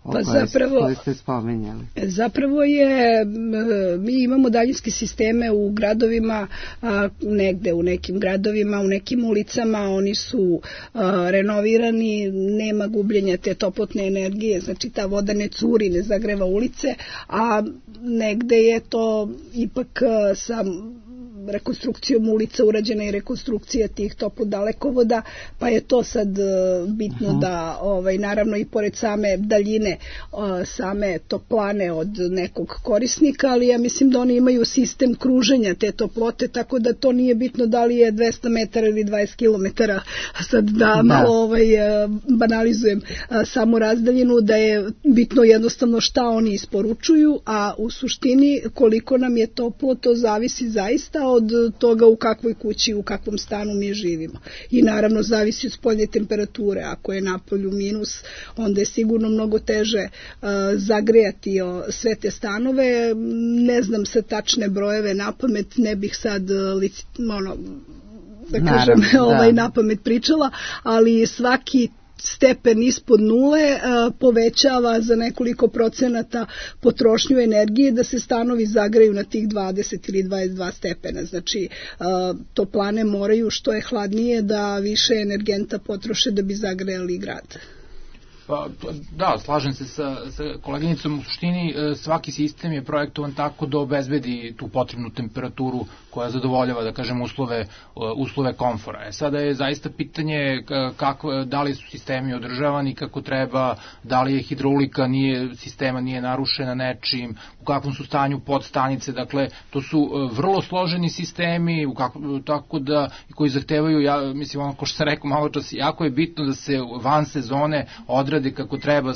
o Pa koje, zapravo, koje ste spominjali? Zapravo je, mi imamo daljinske sisteme u gradovima, a, negde u nekim gradovima, u nekim ulicama, oni su a, renovirani, nema gubljenja te toplotne energije, znači ta voda ne curi, ne zagreva ulice, a negde je to ipak a, sa rekonstrukcijom ulica urađena i rekonstrukcija tih toplodalekovoda, pa je to sad bitno uh-huh. da, ovaj, naravno i pored same daljine same toplane od nekog korisnika, ali ja mislim da oni imaju sistem kruženja te toplote, tako da to nije bitno da li je dvesta metara ili dvadeset kilometara, sad da, da. malo ovaj, banalizujem samu razdaljinu, da je bitno jednostavno šta oni isporučuju, a u suštini koliko nam je toplo, to zavisi zaista od toga u kakvoj kući, u kakvom stanu mi živimo. I naravno zavisi od spoljne temperature. Ako je napolju minus, onda je sigurno mnogo teže uh, zagrejati o, sve te stanove. Ne znam sa tačne brojeve na pamet, ne bih sad uh, lici, ono, da kažem, Naravno, ovaj, da. na pamet pričala, ali svaki stepen ispod nule uh, povećava za nekoliko procenata potrošnju energije da se stanovi zagreju na tih dvadeset ili dvadeset dva stepena. Znači, uh, toplane moraju što je hladnije da više energenta potroše da bi zagrejali grad. Pa, da, slažem se sa, sa koleginicom. U suštini svaki sistem je projektovan tako da obezbedi tu potrebnu temperaturu koja zadovoljava, da kažem, uslove, uslove komfora. E, sada je zaista pitanje kako, da li su sistemi održavani kako treba, da li je hidraulika nije, sistema nije narušena nečim, u kakvom su stanju podstanice. Dakle, to su vrlo složeni sistemi, u kako, tako da, koji zahtevaju, ja mislim, ono ko što sam rekao malo čas, jako je bitno da se van sezone odrade kako treba,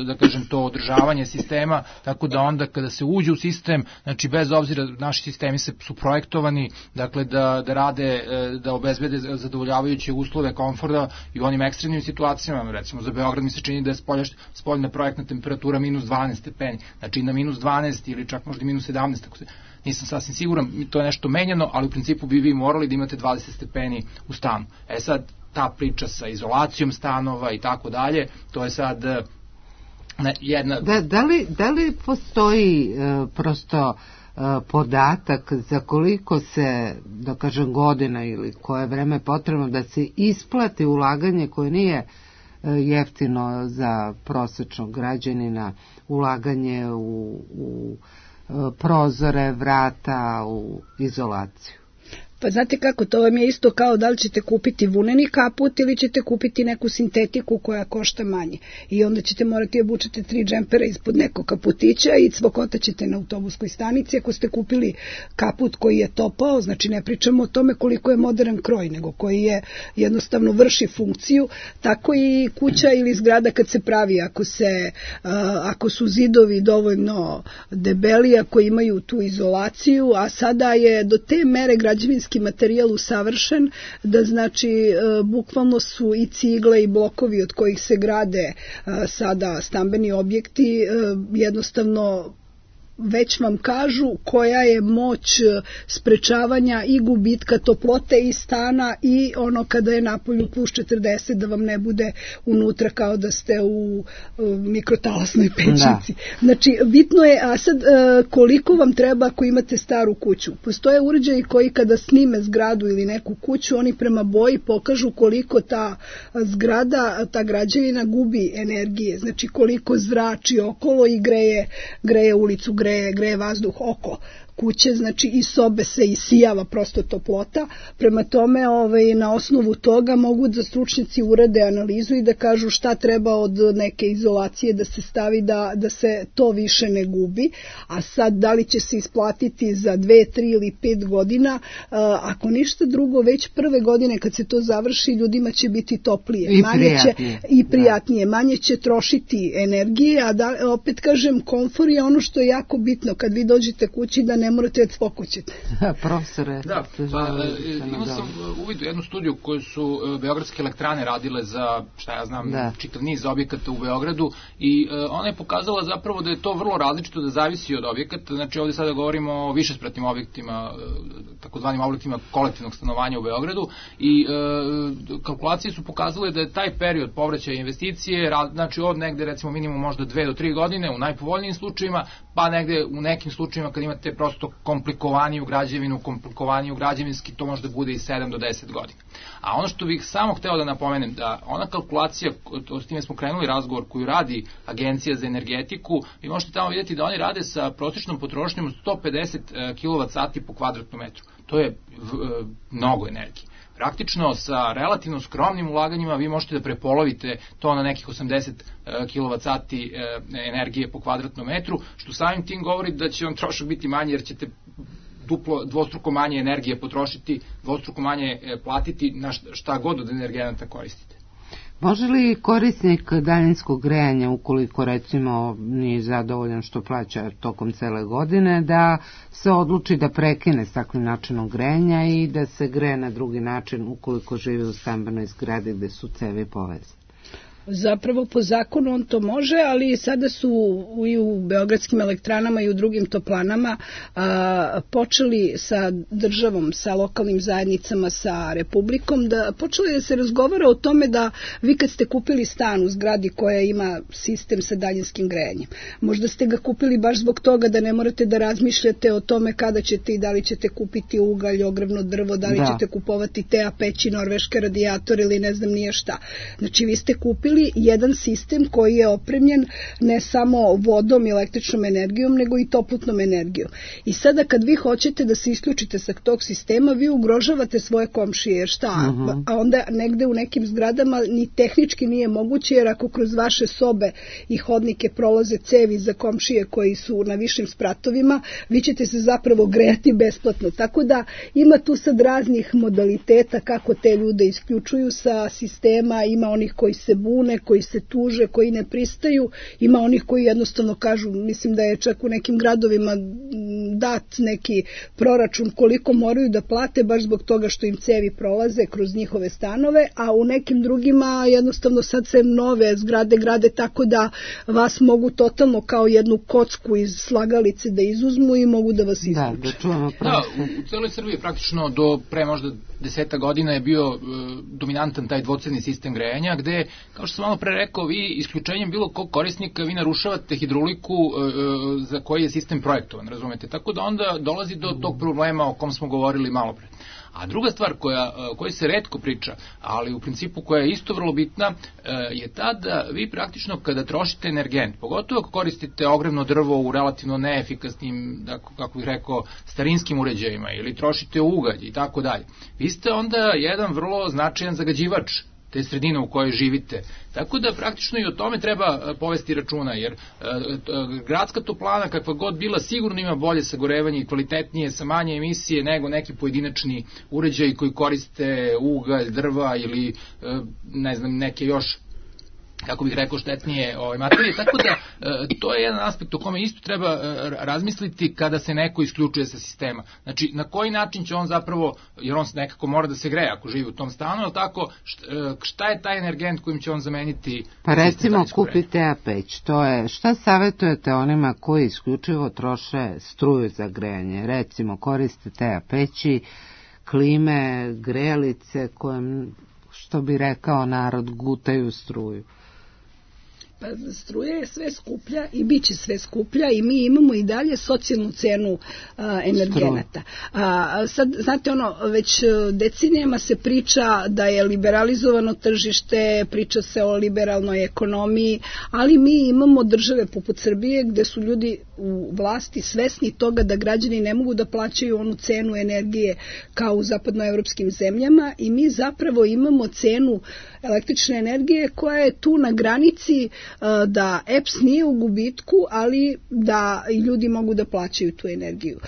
da kažem, to održavanje sistema, tako da onda kada se uđe u sistem, znači bez obzira, naši sistemi se, su projektovani, dakle da, da rade, da obezbede zadovoljavajuće uslove komforta i u onim ekstremnim situacijama. Recimo za Beograd mi se čini da je spolja, spoljna projektna temperatura minus dvanaest stepeni, znači na minus dvanaest ili čak možda minus sedamnaest, ako se, nisam sasvim siguran, to je nešto menjano, ali u principu bi vi morali da imate dvadeset stepeni u stanu. E sad, ta priča sa izolacijom stanova i tako dalje, to je sad ne, jedna... Da, da, li, da li postoji e, prosto e, podatak za koliko se, da kažem, godina ili koje vreme potrebno da se isplati ulaganje koje nije e, jeftino za prosječnog građanina, ulaganje u, u e, prozore, vrata, u izolaciju? Pa znate kako, to vam je isto kao da li ćete kupiti vuneni kaput ili ćete kupiti neku sintetiku koja košta manje. I onda ćete morati obučiti tri džempera ispod nekog kaputića i cvokotaćete na autobuskoj stanici. Ako ste kupili kaput koji je topao, znači ne pričamo o tome koliko je modern kroj, nego koji je jednostavno vrši funkciju, tako i kuća ili zgrada kad se pravi, ako, se, ako su zidovi dovoljno debeli, ako imaju tu izolaciju, a sada je do te mere građevinski materijal usavršen, da znači bukvalno su i cigle i blokovi od kojih se grade sada stambeni objekti jednostavno već vam kažu koja je moć sprečavanja i gubitka toplote iz stana i ono kada je napolju plus četrdeset da vam ne bude unutra kao da ste u mikrotalasnoj pećnici. Da. Znači, bitno je, a sad koliko vam treba ako imate staru kuću? Postoje uređaji koji kada snime zgradu ili neku kuću, oni prema boji pokažu koliko ta zgrada, ta građevina gubi energije, znači koliko zrači okolo i greje, greje ulicu, greje Greje, greje vazduh oko kuće, znači i sobe se isijava prosto toplota. Prema tome, ovaj, na osnovu toga mogu da stručnjaci urade analizu i da kažu šta treba od neke izolacije da se stavi da, da se to više ne gubi. A sad, da li će se isplatiti za dve, tri ili pet godina, ako ništa drugo, već prve godine kad se to završi, ljudima će biti toplije. I manje prijatnije. Će, i prijatnije. Manje će trošiti energije, a da, opet kažem, komfor je ono što je jako bitno. Kad vi dođete kući da ne morate da spokućete. Profesore. Da, pa, imao sam uvidu jednu studiju koju su beogradske elektrane radile za, šta ja znam, da. čitav niz objekata u Beogradu i uh, ona je pokazala zapravo da je to vrlo različito, da zavisi od objekata. Znači ovdje sada govorimo o višespratnim objektima, takozvanim objektima kolektivnog stanovanja u Beogradu i uh, kalkulacije su pokazale da je taj period povraćaja investicije, znači od negde recimo minimum možda dve do tri godine u najpovoljnijim slučajevima, pa negde u nekim slučajevima kad imate prosto komplikovaniju građevinu, komplikovaniju građevinski, to možda bude i sedam do deset godina. A ono što bih samo hteo da napomenem, da ona kalkulacija, to s time smo krenuli razgovor, koju radi Agencija za energetiku, vi možete tamo vidjeti da oni rade sa prosječnom potrošnjom od sto pedeset kilovat sati po kvadratnom metru. To je v, mnogo energije. Praktično sa relativno skromnim ulaganjima vi možete da prepolovite to na nekih osamdeset kilovat sati energije po kvadratnom metru, što samim tim govori da će vam trošak biti manji jer ćete duplo, dvostruko manje energije potrošiti, dvostruko manje platiti na šta god od energenata koristite. Može li korisnik daljinskog grejanja, ukoliko recimo nije zadovoljan što plaća tokom cele godine, da se odluči da prekine s takvim načinom grejanja i da se greje na drugi način ukoliko živi u stambenoj zgradi gde su cevi povezane? Zapravo po zakonu on to može, ali sada su i u beogradskim elektranama i u drugim toplanama a, počeli sa državom, sa lokalnim zajednicama, sa republikom, da počeli da se razgovara o tome da vi kad ste kupili stan u zgradi koja ima sistem sa daljinskim grejanjem, možda ste ga kupili baš zbog toga da ne morate da razmišljate o tome kada ćete i da li ćete kupiti ugalj, ogrevno drvo, da li da. ćete kupovati te a peći, norveške radijatore ili ne znam nije šta. Znači vi ste kupili jedan sistem koji je opremljen ne samo vodom i električnom energijom, nego i toplotnom energijom. I sada kad vi hoćete da se isključite sa tog sistema, vi ugrožavate svoje komšije, jer šta? Uh-huh. A onda negde u nekim zgradama ni tehnički nije moguće, jer ako kroz vaše sobe i hodnike prolaze cevi za komšije koji su na višim spratovima, vi ćete se zapravo grejati besplatno. Tako da ima tu sad raznih modaliteta kako te ljude isključuju sa sistema, ima onih koji se bune, koji se tuže, koji ne pristaju, ima onih koji jednostavno kažu, mislim da je čak u nekim gradovima dat neki proračun koliko moraju da plate baš zbog toga što im cevi prolaze kroz njihove stanove, a u nekim drugima jednostavno sad se nove zgrade grade tako da vas mogu totalno kao jednu kocku iz slagalice da izuzmu i mogu da vas isključe. Da, da čujemo da, u, u celoj Srbiji praktično do pre možda deseta godina je bio uh, dominantan taj dvocevni sistem grejanja, gde, kao što sam malo pre rekao, vi isključenjem bilo kog korisnika vi narušavate hidrauliku uh, za koji je sistem projektovan, razumete? Tako da onda dolazi do tog problema o kom smo govorili malo pre. A druga stvar koja, koja se retko priča, ali u principu koja je isto vrlo bitna, je ta da vi praktično kada trošite energent, pogotovo ako koristite ogrevno drvo u relativno neefikasnim, kako bih rekao, starinskim uređajima ili trošite ugalj i tako dalje, vi ste onda jedan vrlo značajan zagađivač te sredine u kojoj živite. Tako da praktično i o tome treba povesti računa, jer gradska toplana kakva god bila sigurno ima bolje sagorevanje i kvalitetnije sa manje emisije nego neki pojedinačni uređaji koji koriste ugalj, drva ili ne znam neke još, kako bih rekao, štetnije ove materije, tako da e, to je jedan aspekt o kome isto treba e, razmisliti kada se neko isključuje sa sistema. Znači, na koji način će on zapravo, jer on nekako mora da se greje ako živi u tom stanu, ali tako, šta, šta je taj energent kojim će on zameniti? Pa recimo kupite a peć, to je, šta savjetujete onima koji isključivo troše struju za grejanje? Recimo, koristite a peći, klime, grejalice, kojem, što bi rekao narod, gutaju struju. Pa struja je sve skuplja i bit će sve skuplja i mi imamo i dalje socijalnu cenu a, energenata. A, sad, znate, ono, već decenijama se priča da je liberalizovano tržište, priča se o liberalnoj ekonomiji, ali mi imamo države poput Srbije gde su ljudi u vlasti svesni toga da građani ne mogu da plaćaju onu cenu energije kao u zapadnoevropskim zemljama i mi zapravo imamo cenu električne energije koja je tu na granici da E P S nije u gubitku, ali da i ljudi mogu da plaćaju tu energiju.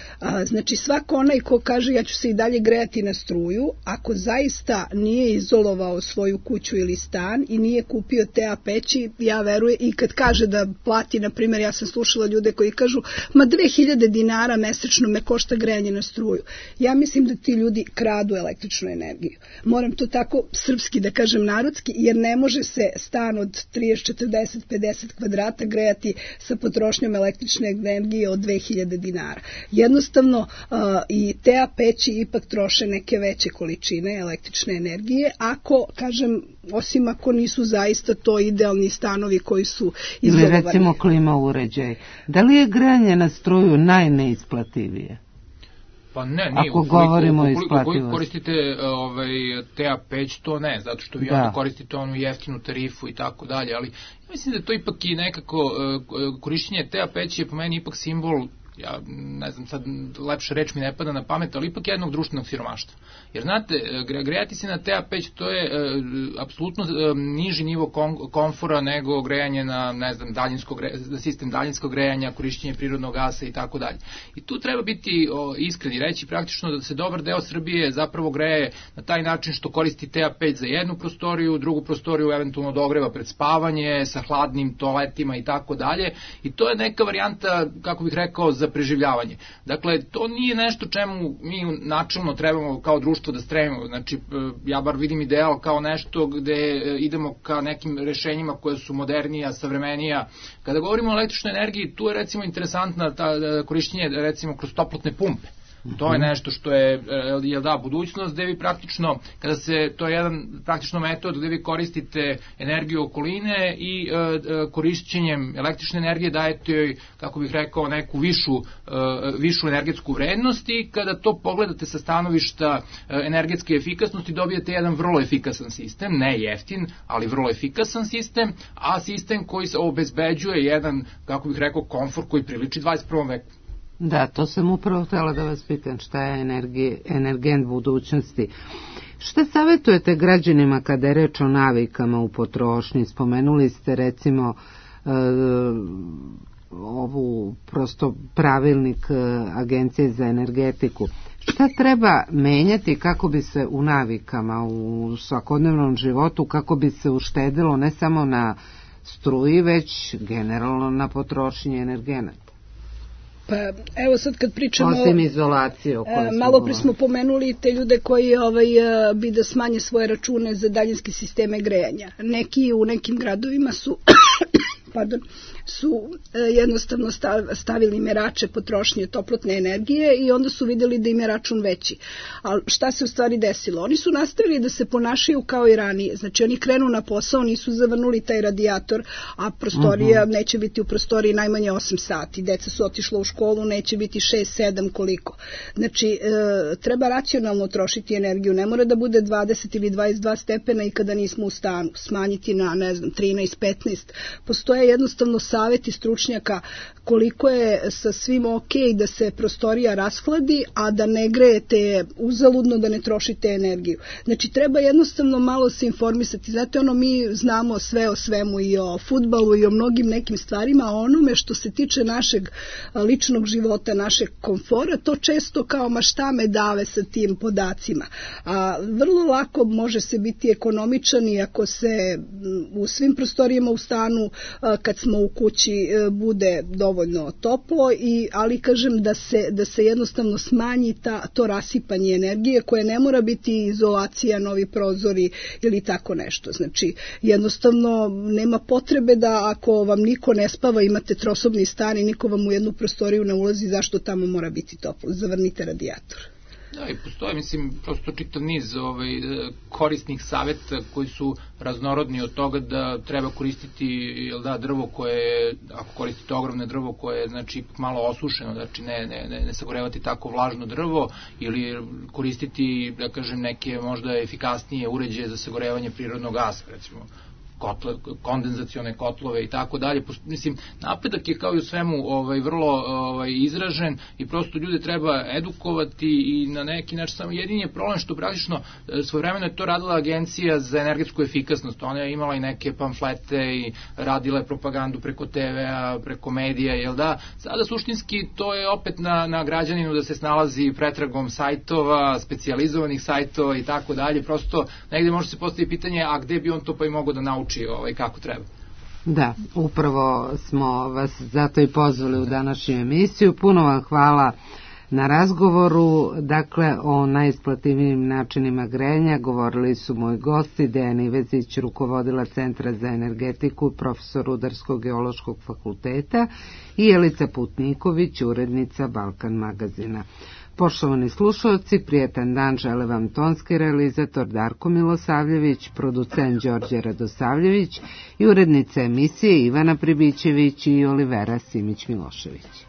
Znači svako onaj ko kaže ja ću se i dalje grejati na struju, ako zaista nije izolovao svoju kuću ili stan i nije kupio te a peći, ja verujem, i kad kaže da plati, na primjer, ja sam slušala ljude koji kažu ma dve hiljade dinara mesečno me košta grejanje na struju. Ja mislim da ti ljudi kradu električnu energiju. Moram to tako srpski da kažem, narodski, jer ne može se stan od trideset, četrdeset, pedeset kvadrata grejati sa potrošnjom električne energije od dve hiljade dinara. Jednostavno uh, i te a peći ipak troše neke veće količine električne energije, ako, kažem, osim ako nisu zaista to idealni stanovi koji su izolovani. Ili recimo klima uređaj. Da li je grejanje na struju najneisplativije? Pa ne, nije. Ako govorimo o isplativosti. Ukoliko koristite ovaj, te a peć, to ne, zato što vi da. onda koristite onu jeftinu tarifu i tako dalje, ali mislim da to ipak i nekako korišćenje te a peći je po meni ipak simbol, ja ne znam sad, lepša reč mi ne pada na pamet, ali ipak jednog društvenog siromaštva. Jer znate, grejati se na te a peć, to je e, apsolutno e, niži nivo kom, komfora nego grejanje na, ne znam, daljinsko gre, sistem daljinskog grejanja, korišćenje prirodnog gasa i tako dalje. I tu treba biti o, iskren i reći praktično da se dobar deo Srbije zapravo greje na taj način što koristi te a peć za jednu prostoriju, drugu prostoriju eventualno dogreva pred spavanje, sa hladnim toaletima i tako dalje. I to je neka varijanta, kako bih rekao, za preživljavanje. Dakle, to nije nešto čemu mi načelno trebamo kao društvo da stremimo. Znači, ja bar vidim ideal kao nešto gde idemo ka nekim rešenjima koje su modernija, savremenija. Kada govorimo o električnoj energiji, tu je recimo interesantna ta korišćenje recimo kroz toplotne pumpe. To je nešto što je, je da, budućnost, gde vi praktično, kada se, to je jedan praktično metod gde vi koristite energiju okoline i e, korišćenjem električne energije dajete joj, kako bih rekao, neku višu, e, višu energetsku vrednost i kada to pogledate sa stanovišta e, energetske efikasnosti dobijete jedan vrlo efikasan sistem, ne jeftin, ali vrlo efikasan sistem, a sistem koji se obezbeđuje jedan, kako bih rekao, komfor koji priliči dvadeset prvom veku. Da, to sam upravo htjela da vas pitam, šta je energi, energent budućnosti. Šta savjetujete građanima kada je reč o navikama u potrošnji? Spomenuli ste recimo e, ovu prosto pravilnik Agencije za energetiku. Šta treba menjati kako bi se u navikama, u svakodnevnom životu, kako bi se uštedilo ne samo na struji, već generalno na potrošnji energenata? Pa evo sad kad pričamo osim izolacije o kojoj malo pre smo pomenuli te ljude koji ovaj, bi da smanje svoje račune za daljinske sisteme grejanja. Neki u nekim gradovima su pardon, su jednostavno stavili merače potrošnje toplotne energije i onda su vidjeli da im je račun veći. Ali šta se u stvari desilo? Oni su nastavili da se ponašaju kao i ranije. Znači oni krenu na posao, nisu zavrnuli taj radijator, a prostorija uh-huh. neće biti u prostoriji najmanje osam sati. Deca su otišla u školu, neće biti šest sedam koliko. Znači e, treba racionalno trošiti energiju. Ne mora da bude dvadeset ili dvadeset dva stepena i kada nismo u stanu. Smanjiti na, ne znam, trinaest petnaest. Postoje jednostavno saveti stručnjaka koliko je sa svim ok da se prostorija rashladi, a da ne grejete uzaludno, da ne trošite energiju. Znači treba jednostavno malo se informisati. Znate, ono, mi znamo sve o svemu i o fudbalu i o mnogim nekim stvarima, a onome što se tiče našeg ličnog života, našeg komfora, to često kao ma šta me dave sa tim podacima. A vrlo lako može se biti ekonomičan i ako se u svim prostorijama u stanu, kad smo u kući, bude dovoljno toplo, i, ali kažem da se, da se jednostavno smanji ta, to rasipanje energije koje ne mora biti izolacija, novi prozori ili tako nešto. Znači jednostavno nema potrebe da ako vam niko ne spava, imate trosobni stan i niko vam u jednu prostoriju ne ulazi, zašto tamo mora biti toplo? Zavrnite radijator. Da, i postoje, mislim, prosto čitav niz ovaj, korisnih saveta koji su raznorodni od toga da treba koristiti, jel da, drvo koje, ako koristite ogromne drvo koje je, znači, malo osušeno, znači ne, ne, ne, ne sagorevati tako vlažno drvo, ili koristiti, da kažem, neke možda efikasnije uređaje za sagorevanje prirodnog gasa, recimo kotle, kondenzacione kotlove i tako dalje. Mislim, napredak je kao i u svemu ovaj, vrlo ovaj, izražen i prosto ljude treba edukovati i na neki način samo jedini je problem što praktično svojevremeno je to radila Agencija za energetsku efikasnost. Ona je imala i neke pamflete i radila je propagandu preko te ve-a, preko medija, jel da? Sada suštinski to je opet na, na građaninu da se snalazi pretragom sajtova, specijalizovanih sajtova i tako dalje. Prosto negde može se postaviti pitanje, a gde bi on to pa i mogao da nauči ovaj, kako treba. Da, upravo smo vas zato i pozvali u današnju emisiju. Puno vam hvala na razgovoru. Dakle, o najisplativijim načinima grejanja govorili su moji gosti Dejan Ivezić, rukovodila Centra za energetiku, profesor Rudarsko-geološkog fakulteta, i Jelica Putniković, urednica Balkan magazina. Poštovani slušalci, prijetan dan žele vam tonski realizator Darko Milosavljević, producent Đorđe Radosavljević i urednica emisije Ivana Pribićević i Olivera Simić-Milošević.